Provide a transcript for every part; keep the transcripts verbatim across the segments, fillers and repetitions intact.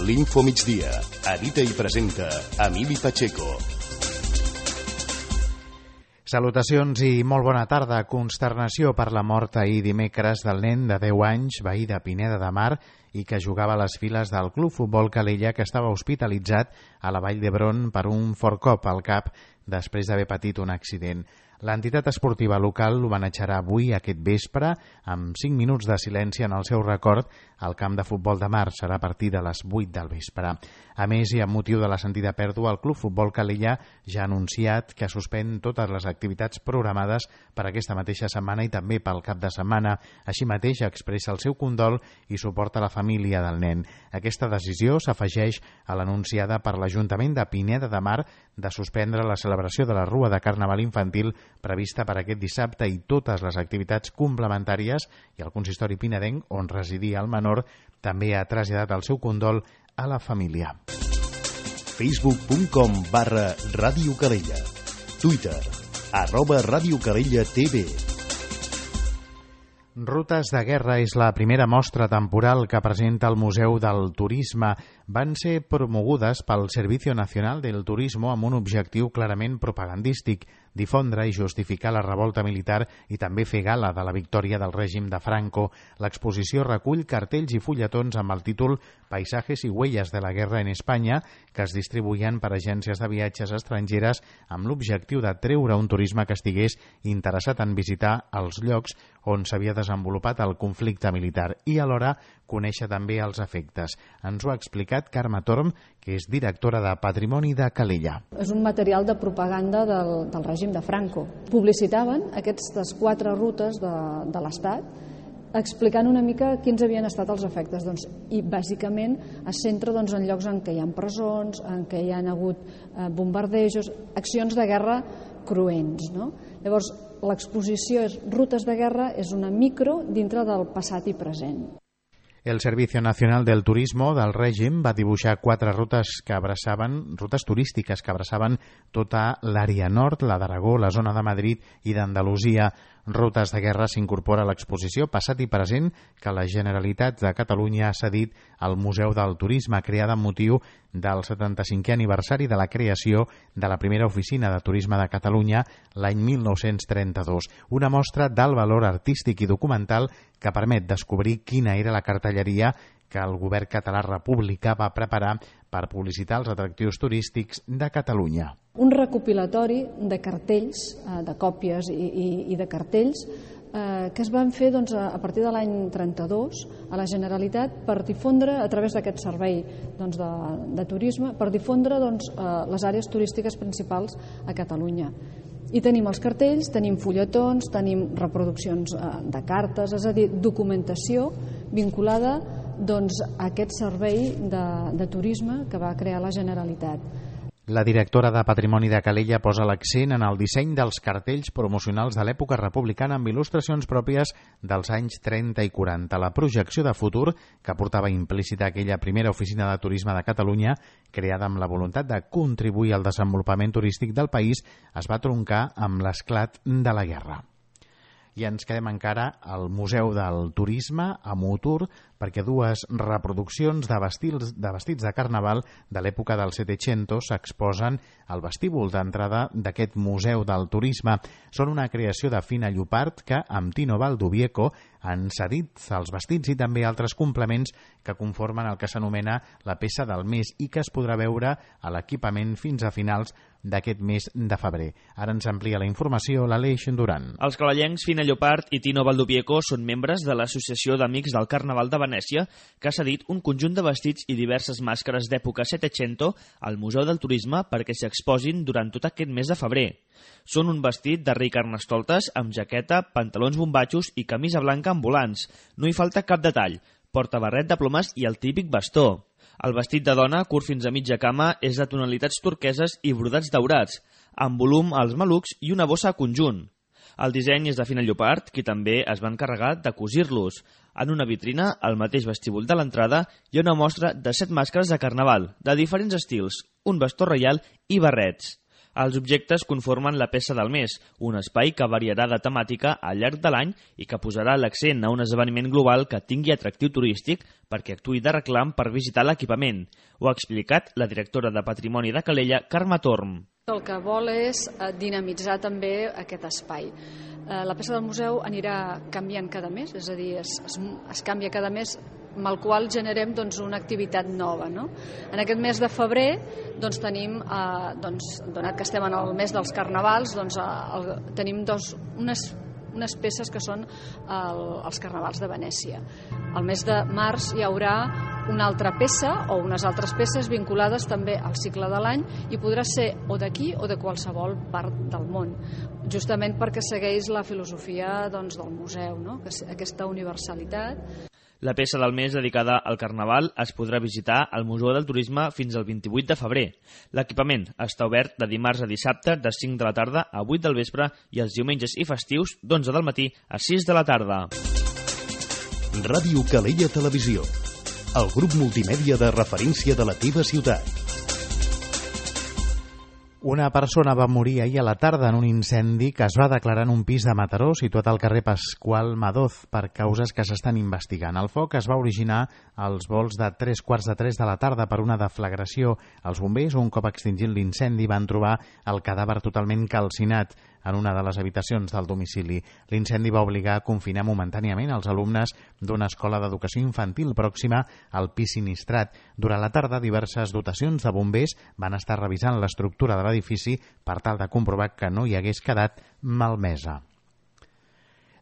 L'Info Migdia. Edita i presenta Emili Pacheco. Salutacions i molt bona tarda. Consternació per la mort ahir dimecres del nen de deu anys, veí de Pineda de Mar, i que jugava a les files del Club Futbol Calella, que estava hospitalitzat a la Vall d'Hebron per un fort cop al cap després d'haver patit un accident. L'entitat esportiva local l'homenatjarà avui, aquest vespre, amb cinc minuts de silenci en el seu record al camp de futbol de Mar. Serà a partir de les vuit del vespre. A més, i amb motiu de la sentida pèrdua, el Club Futbol Calella ja ha anunciat que suspèn totes les activitats programades per aquesta mateixa setmana i també pel cap de setmana. Així mateix expressa el seu condol i suporta la família del nen. Aquesta decisió s'afegeix a l'anunciada per l'Ajuntament de Pineda de Mar de suspendre la celebració de la Rua de Carnaval Infantil prevista per aquest dissabte i totes les activitats complementàries, i el consistori pinedenc, on residia el menor, també ha traslladat el seu condol a la família. Facebook punt com barra Ràdio Calella. Twitter, arroba Ràdio Calella T V. Rutes de guerra és la primera mostra temporal que presenta el Museu del Turisme. Van ser promogudes pel Servicio Nacional del Turismo amb un objectiu clarament propagandístic: difondre i justificar la revolta militar i també fer gala de la victòria del règim de Franco. L'exposició recull cartells i fulletons amb el títol Paisajes y huellas de la guerra en España, que es distribuïen per agències de viatges estrangeres amb l'objectiu de treure un turisme que estigués interessat en visitar els llocs on s'havia desenvolupat el conflicte militar i alhora conèixer també els efectes. Ens ho ha explicat Carme Torm, que és directora de Patrimoni de Calella. És un material de propaganda del, del règim de Franco. Publicitaven aquestes quatre rutes de, de l'Estat, explicant una mica quins havien estat els efectes. Doncs, I bàsicament es centra doncs, en llocs en què hi ha presons, en què hi ha hagut eh, bombardejos, accions de guerra cruents. No? Llavors, l'exposició és Rutes de guerra, és una micro dintre del passat i present. El Servicio Nacional del Turismo del règim va dibuixar quatre rutes que abraçaven, rutes turístiques que abraçaven tota l'àrea nord, la d'Aragó, la zona de Madrid i d'Andalusia. Rutes de guerra s'incorpora a l'exposició passat i present que la Generalitat de Catalunya ha cedit al Museu del Turisme, creada amb motiu del setanta-cinquè aniversari de la creació de la primera oficina de turisme de Catalunya l'any mil nou-cents trenta-dos. Una mostra d'alt valor artístic i documental que permet descobrir quina era la cartelleria que el govern català republicà va preparar per publicitar els atractius turístics de Catalunya. Un recopilatori de cartells, de còpies i, i, i de cartells eh, que es van fer doncs, a partir de l'any trenta-dos a la Generalitat per difondre, a través d'aquest servei doncs, de, de turisme, per difondre doncs, eh, les àrees turístiques principals a Catalunya. I tenim els cartells, tenim fulletons, tenim reproduccions eh, de cartes, és a dir, documentació vinculada doncs, a aquest servei de, de turisme que va crear la Generalitat. La directora de Patrimoni de Calella posa l'accent en el disseny dels cartells promocionals de l'època republicana amb il·lustracions pròpies dels anys trenta i quaranta. La projecció de futur que portava implícita aquella primera oficina de turisme de Catalunya, creada amb la voluntat de contribuir al desenvolupament turístic del país, es va troncar amb l'esclat de la guerra. I ens quedem encara al Museu del Turisme, a Mutur, perquè dues reproduccions de vestits de, vestits de carnaval de l'època del Settecento s'exposen al vestíbul d'entrada d'aquest Museu del Turisme. Són una creació de Fina Llopart que, amb Tino Valdovieco, han cedit els vestits i també altres complements que conformen el que s'anomena la peça del mes i que es podrà veure a l'equipament fins a finals d'aquest mes de febrer. Ara ens amplia la informació l'Aleix Duran. Els calellencs Fina Llopart i Tino Valdovieco són membres de l'Associació d'Amics del Carnaval de Venècia, que ha cedit un conjunt de vestits i diverses màscares d'època Settecento al Museu del Turisme perquè s'exposin durant tot aquest mes de febrer. Són un vestit de rei Carnestoltes amb jaqueta, pantalons bombatxos i camisa blanca amb volants. No hi falta cap detall. Porta barret de plomes i el típic bastó. El vestit de dona, curt fins a mitja cama, és de tonalitats turqueses i brodats daurats, amb volum als malucs i una bossa a conjunt. El disseny és de Fina Llopart, qui també es va encarregar de cosir-los. En una vitrina, al mateix vestíbul de l'entrada, hi ha una mostra de set màscares de carnaval, de diferents estils, un bastó reial i barrets. Els objectes conformen la peça del mes, un espai que variarà de temàtica al llarg de l'any i que posarà l'accent a un esdeveniment global que tingui atractiu turístic perquè actuï de reclam per visitar l'equipament. Ho ha explicat la directora de Patrimoni de Calella, Carme Torm. El que vol és dinamitzar també aquest espai. La peça del museu anirà canviant cada mes, és a dir, es, es, es canvia cada mes, amb el qual generem doncs, una activitat nova. No? En aquest mes de febrer doncs, tenim, eh, doncs, donat que estem en el mes dels carnavals, doncs, el, tenim dos, unes unes peces que són el, els carnavals de Venècia. Al mes de març hi haurà una altra peça o unes altres peces vinculades també al cicle de l'any i podrà ser o d'aquí o de qualsevol part del món, justament perquè segueix la filosofia doncs, del museu, no? Aquesta universalitat. La peça del mes dedicada al Carnaval es podrà visitar al Museu del Turisme fins al vint-i-vuit de febrer. L'equipament està obert de dimarts a dissabte de cinc de la tarda a vuit del vespre i els diumenges i festius d'onze del matí a sis de la tarda. Ràdio Calella Televisió, el grup multimèdia de referència de la teva ciutat. Una persona va morir ahir a la tarda en un incendi que es va declarar en un pis de Mataró situat al carrer Pasqual Madoz per causes que s'estan investigant. El foc es va originar als vols de tres quarts de tres de la tarda per una deflagració. Els bombers, un cop extingint l'incendi, van trobar el cadàver totalment calcinat en una de les habitacions del domicili. L'incendi va obligar a confinar momentàniament els alumnes d'una escola d'educació infantil pròxima al pis sinistrat. Durant la tarda, diverses dotacions de bombers van estar revisant l'estructura de l'edifici per tal de comprovar que no hi hagués quedat malmesa.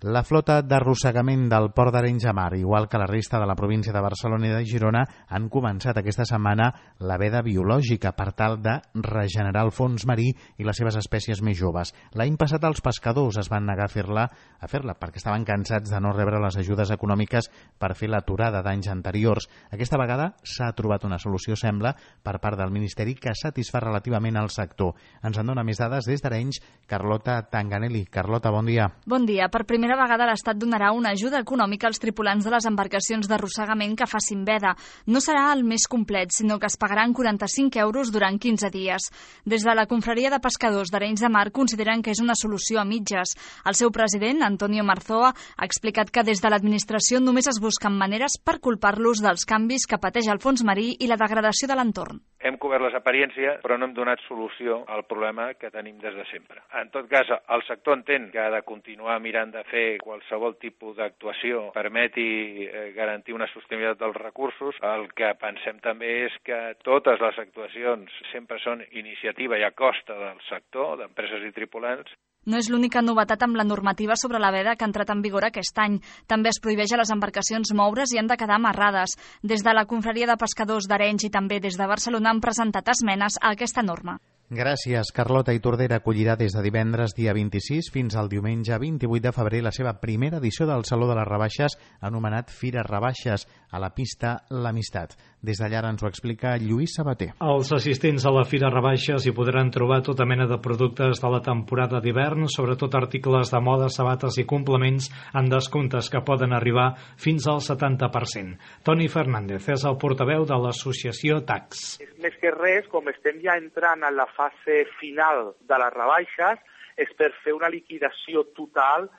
La flota d'arrossegament del Port d'Arenys de Mar, igual que la resta de la província de Barcelona i de Girona, han començat aquesta setmana la veda biològica per tal de regenerar el fons marí i les seves espècies més joves. L'any passat els pescadors es van negar a fer-la a fer-la perquè estaven cansats de no rebre les ajudes econòmiques per fer l'aturada d'anys anteriors. Aquesta vegada s'ha trobat una solució, sembla, per part del Ministeri que satisfà relativament al sector. Ens en dona més dades des d'Arenys, Carlota Tanganelli. Carlota, bon dia. Bon dia. Per primera vegada l'Estat donarà una ajuda econòmica als tripulants de les embarcacions d'arrossegament que facin veda. No serà el més complet, sinó que es pagaran quaranta-cinc euros durant quinze dies. Des de la Confraria de Pescadors d'Arenys de Mar consideren que és una solució a mitges. El seu president, Antonio Marzoa, ha explicat que des de l'administració només es busquen maneres per culpar-los dels canvis que pateix el fons marí i la degradació de l'entorn. Hem cobert les apariències, però no hem donat solució al problema que tenim des de sempre. En tot cas, el sector entén que ha de continuar mirant de fer qualsevol tipus d'actuació permeti eh, garantir una sostenibilitat dels recursos. El que pensem també és que totes les actuacions sempre són iniciativa i a costa del sector, d'empreses i tripulants. No és l'única novetat amb la normativa sobre la veda que ha entrat en vigor aquest any. També es prohibeix a les embarcacions moure's i han de quedar amarrades. Des de la Confraria de Pescadors d'Arenys i també des de Barcelona han presentat esmenes a aquesta norma. Gràcies. Carlota Itordera acollirà des de divendres dia vint-i-sis fins al diumenge vint-i-vuit de febrer la seva primera edició del Saló de les Rebaixes anomenat Fira Rebaixes a la pista L'Amistat. Des d'allà ens ho explica Lluís Sabater. Els assistents a la Fira Rebaixes hi podran trobar tota mena de productes de la temporada d'hivern, sobretot articles de moda, sabates i complements en descomptes que poden arribar fins al setanta per cent. Toni Fernández és el portaveu de l'associació T A X. Més que res, com estem ja entrant en la fase final de les rebaixes, és per fer una liquidació total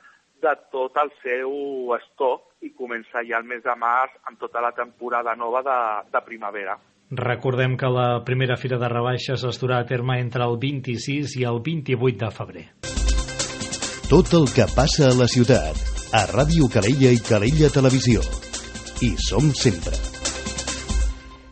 de tot el seu estoc i començar ja el mes de març amb tota la temporada nova de, de primavera. Recordem que la primera fira de rebaixes es durà a terme entre el vint-i-sis i el vint-i-vuit de febrer. Tot el que passa a la ciutat, a Ràdio Calella i Calella Televisió. Hi som sempre.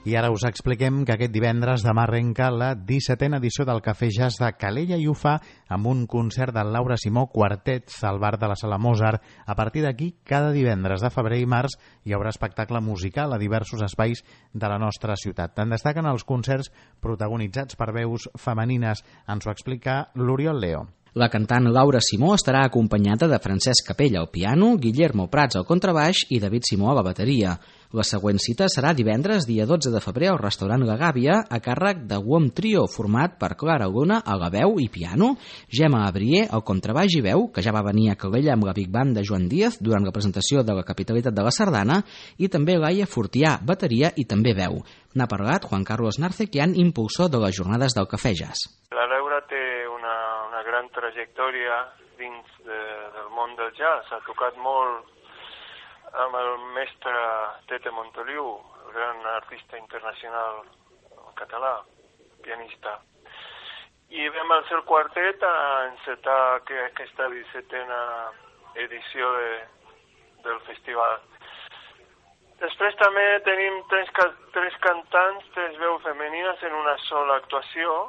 I ara us expliquem que aquest divendres demà arrenca la dissetena edició del Cafè Jazz de Calella i ho fa amb un concert del Laura Simó Quartet al bar de la Sala Mozart. A partir d'aquí, cada divendres de febrer i març hi haurà espectacle musical a diversos espais de la nostra ciutat. En destaquen els concerts protagonitzats per veus femenines. Ens ho explica l'Oriol Leo. La cantant Laura Simó estarà acompanyada de Francesc Capella al piano, Guillermo Prats al contrabaix i David Simó a la bateria. La següent cita serà divendres, dia dotze de febrer, al restaurant La Gàbia, a càrrec de WOM Trio, format per Clara Luna a la veu i piano, Gemma Abrier al contrabaix i veu, que ja va venir a Calella amb la Big Band de Joan Díaz durant la presentació de la capitalitat de la Sardana, i també Laia Fortià, bateria i també veu. N'ha parlat Juan Carlos Narcequian, impulsor de les jornades del Cafè Jazz. La Laura té gran trajectòria dins de, del món del jazz. Ha tocat molt amb el mestre Tete Montoliu, el gran artista internacional català, pianista. I vam al seu quartet a encetar aquesta dissetena edició de, del festival. Després també tenim tres, tres cantants, tres veus femenines en una sola actuació.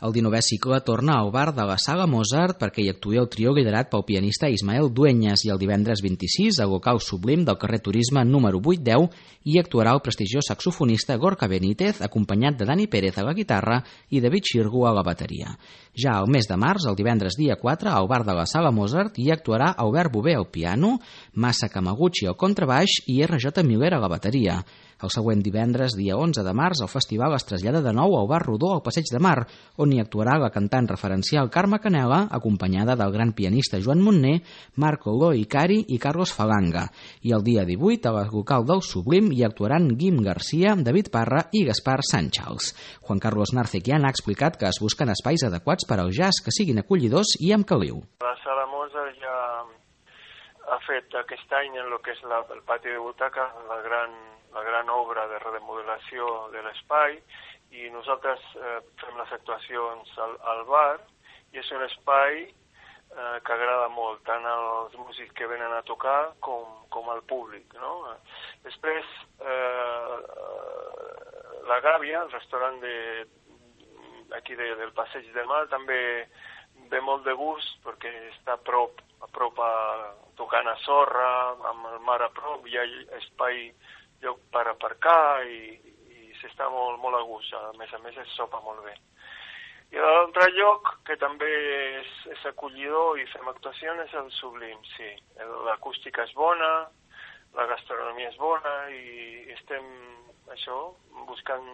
El dinovè cicle torna al bar de la Sala Mozart perquè hi actuï el trio liderat pel pianista Ismael Dueñas i el divendres vint-i-sis al local Sublim del carrer Turisme número vuit deu hi actuarà el prestigiós saxofonista Gorka Benítez acompanyat de Dani Pérez a la guitarra i David Xirgu a la bateria. Ja al mes de març, el divendres dia quatre, al bar de la Sala Mozart hi actuarà Albert Bové al piano, Masa Kamaguchi al contrabaix i R J Miller a la bateria. El següent divendres, dia onze de març, el festival es trasllada de nou al bar Rodó al Passeig de Mar, on hi actuarà la cantant referencial Carme Canela, acompanyada del gran pianista Joan Montner, Marco Loi Cari i Carlos Falanga. I el dia divuit, a la local del Sublim, hi actuaran Guim Garcia, David Parra i Gaspar Sanchals. Juan Carlos Narcequian ha explicat que es busquen espais adequats per al jazz que siguin acollidors i amb caliu. La Sala Mozart ja ha fet aquest any en el que és la, el pati de butaca la gran la gran obra de remodelació de l'espai i nosaltres eh, fem les actuacions al, al bar i és un espai eh, que agrada molt tant als músics que venen a tocar com, com al públic, no? Després eh, la Gàbia, el restaurant de, aquí de, del Passeig de Mar, també ve molt de gust perquè està a prop, a prop a, tocant a sorra, amb el mar a prop, hi ha espai lloc per aparcar i, i s'està molt, molt a gust, a més a més es sopa molt bé. I l'altre lloc que també és, és acollidor i fem actuacions és el Sublim, sí. L'acústica és bona, la gastronomia és bona i estem, això, buscant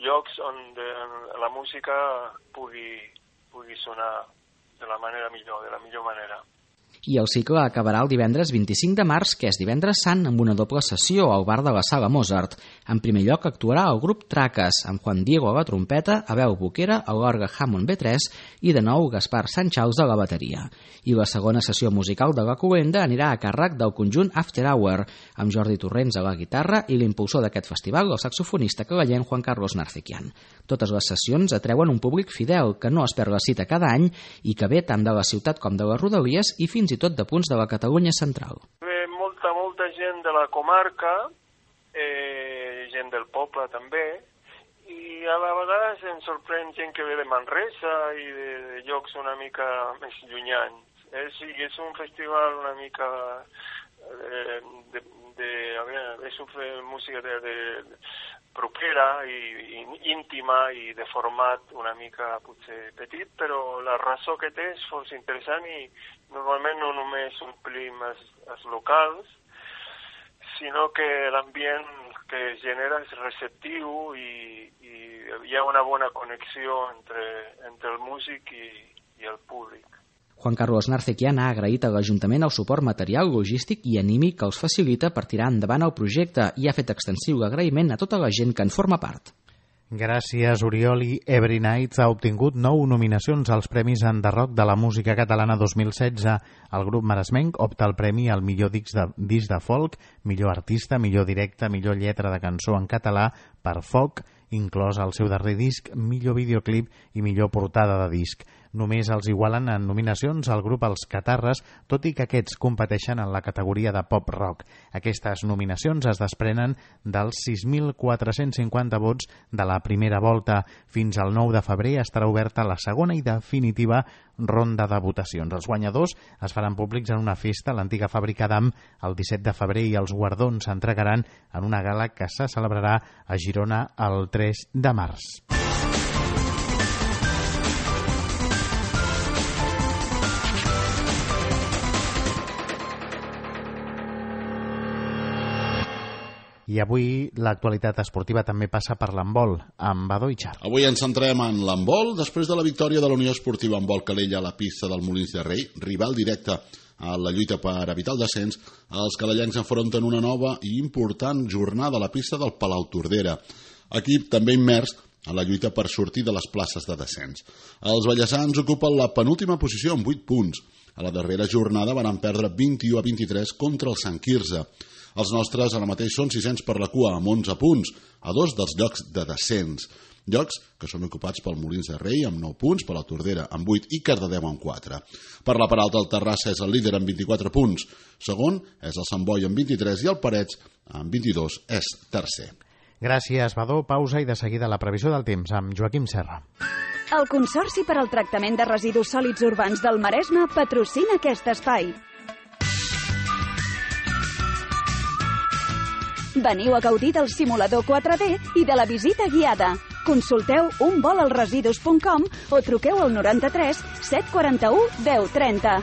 llocs on de, la música pugui, pugui sonar de la manera millor, de la millor manera. I el cicle acabarà el divendres vint-i-cinc de març, que és divendres sant, amb una doble sessió al bar de la Sala Mozart. En primer lloc actuarà el grup Traques, amb Juan Diego a la trompeta, Abel Boquera a l'orgue Hammond B tres i de nou Gaspar Sanchals a la bateria. I la segona sessió musical de la cloenda anirà a càrrec del conjunt After Hour, amb Jordi Torrents a la guitarra i l'impulsor d'aquest festival, el saxofonista calellenc Juan Carlos Narcequian. Totes les sessions atreuen un públic fidel, que no es perd la cita cada any i que ve tant de la ciutat com de les rodalies i fins i tot de punts de la Catalunya central. Ve molta, molta gent de la comarca, eh, gent del poble també, i a la vegada ens sorprèn gent que ve de Manresa i de, de llocs una mica més llunyans. Eh? Sí, és un festival una mica eh, de, de, a veure, és una música de, de, de propera i, i íntima i de format una mica potser petit, però la raó que té és força interessant i normalment no només omplim els, els locals, sinó que l'ambient que es genera és receptiu i, i hi ha una bona connexió entre, entre el músic i, i el públic. Juan Carlos Narcequian ha agraït a l'Ajuntament el suport material, logístic i anímic que els facilita per tirar endavant el projecte i ha fet extensiu l'agraïment a tota la gent que en forma part. Gràcies, Oriol. I Every Nights ha obtingut nou nominacions als Premis Enderroc de la Música Catalana dos mil setze. El grup maresmenc opta al premi al millor disc de, disc de folk, millor artista, millor directe, millor lletra de cançó en català per Foc, inclòs el seu darrer disc, millor videoclip i millor portada de disc. Només els igualen en nominacions al grup Els Catarres, tot i que aquests competeixen en la categoria de pop-rock. Aquestes nominacions es desprenen dels sis mil quatre-cents cinquanta vots de la primera volta. Fins al nou de febrer estarà oberta la segona i definitiva ronda de votacions. Els guanyadors es faran públics en una festa a l'antiga fàbrica d'Am el disset de febrer i els guardons s'entregaran en una gala que se celebrarà a Girona el tres de març. I avui l'actualitat esportiva també passa per l'handbol, amb Badó i Char. Avui ens centrem en l'handbol, després de la victòria de la Unió Esportiva Handbol Calella a la pista del Molins de Rei, rival directe a la lluita per evitar el descens, els calellencs enfronten una nova i important jornada a la pista del Palau Tordera. Equip també immers en la lluita per sortir de les places de descens. Els vallesans ocupen la penúltima posició amb vuit punts. A la darrera jornada van perdre vint-i-u a vint-i-tres contra el Sant Quirze. Els nostres ara mateix són sisens per la cua amb onze punts, a dos dels llocs de descens. Llocs que són ocupats pel Molins de Rei amb nou punts, per la Tordera amb vuit i Cardedeu amb quatre. Per la part alta, el Terrassa és el líder amb vint-i-quatre punts. Segon és el Sant Boi amb vint-i-tres i el Parets amb vint-i-dos és tercer. Gràcies, Badó. Pausa i de seguida la previsió del temps amb Joaquim Serra. El Consorci per al Tractament de Residus Sòlids Urbans del Maresme patrocina aquest espai. Veniu a gaudir del simulador quatre D i de la visita guiada. Consulteu un vol als residus punt com o truqueu al noranta-tres set quaranta-u deu trenta.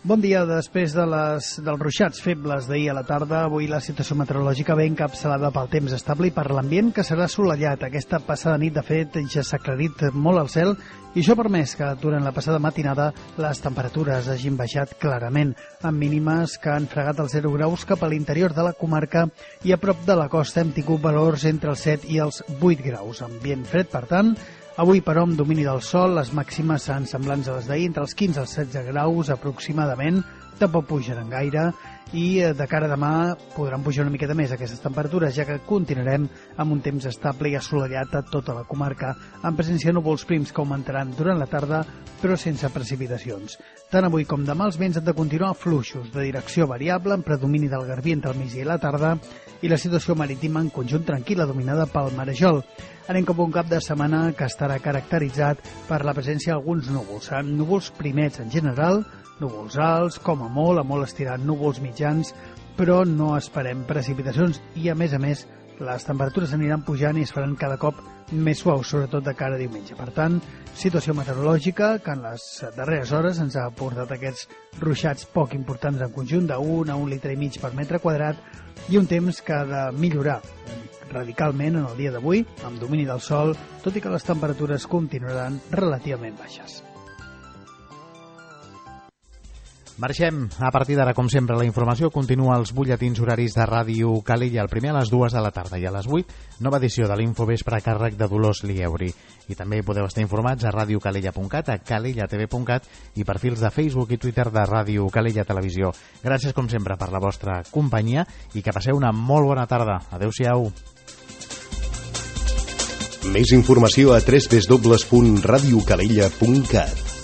Bon dia. Després de les, dels ruixats febles d'ahir a la tarda, avui la situació meteorològica ve encapçalada pel temps estable i per l'ambient que serà assolellat. Aquesta passada nit, de fet, ja s'ha aclarit molt el cel i això ha permès que durant la passada matinada les temperatures hagin baixat clarament, amb mínimes que han fregat els zero graus cap a l'interior de la comarca i a prop de la costa hem tingut valors entre els set i els vuit graus. Ambient fred, per tant. Avui, però, amb domini del sol, les màximes seran semblants a les d'ahir, entre els quinze als setze graus aproximadament, tampoc pujaran gaire, i de cara a demà podran pujar una miqueta més aquestes temperatures, ja que continuarem amb un temps estable i assolellat a tota la comarca, amb presència de núvols prims que augmentaran durant la tarda, però sense precipitacions. Tant avui com demà els vents han de continuar fluixos, de direcció variable, amb predomini del garbí entre el migdia i la tarda, i la situació marítima en conjunt tranquil·la, dominada pel marejol. Anem cap a un cap de setmana que estarà caracteritzat per la presència d'alguns núvols. Seran núvols primets en general, núvols alts, com a molt, a molt estirat núvols mitjans, però no esperem precipitacions i, a més a més, les temperatures aniran pujant i es faran cada cop més suaus, sobretot de cara a diumenge. Per tant, situació meteorològica que en les darreres hores ens ha portat aquests ruixats poc importants en conjunt, d'un a un litre i mig per metre quadrat, i un temps que ha de millorar radicalment en el dia d'avui, amb domini del sol, tot i que les temperatures continuaran relativament baixes. Marxem. A partir d'ara, com sempre, la informació continua als butlletins horaris de Ràdio Calella, el primer a les dues de la tarda i a les vuit, nova edició de l'Infovespre a càrrec de Dolors Lieuri. I també podeu estar informats a radiocalella punt cat, a calellatv punt cat i perfils de Facebook i Twitter de Ràdio Calella Televisió. Gràcies, com sempre, per la vostra companyia i que passeu una molt bona tarda. Adéu-siau. Més informació a w w w punt radiocalella punt cat.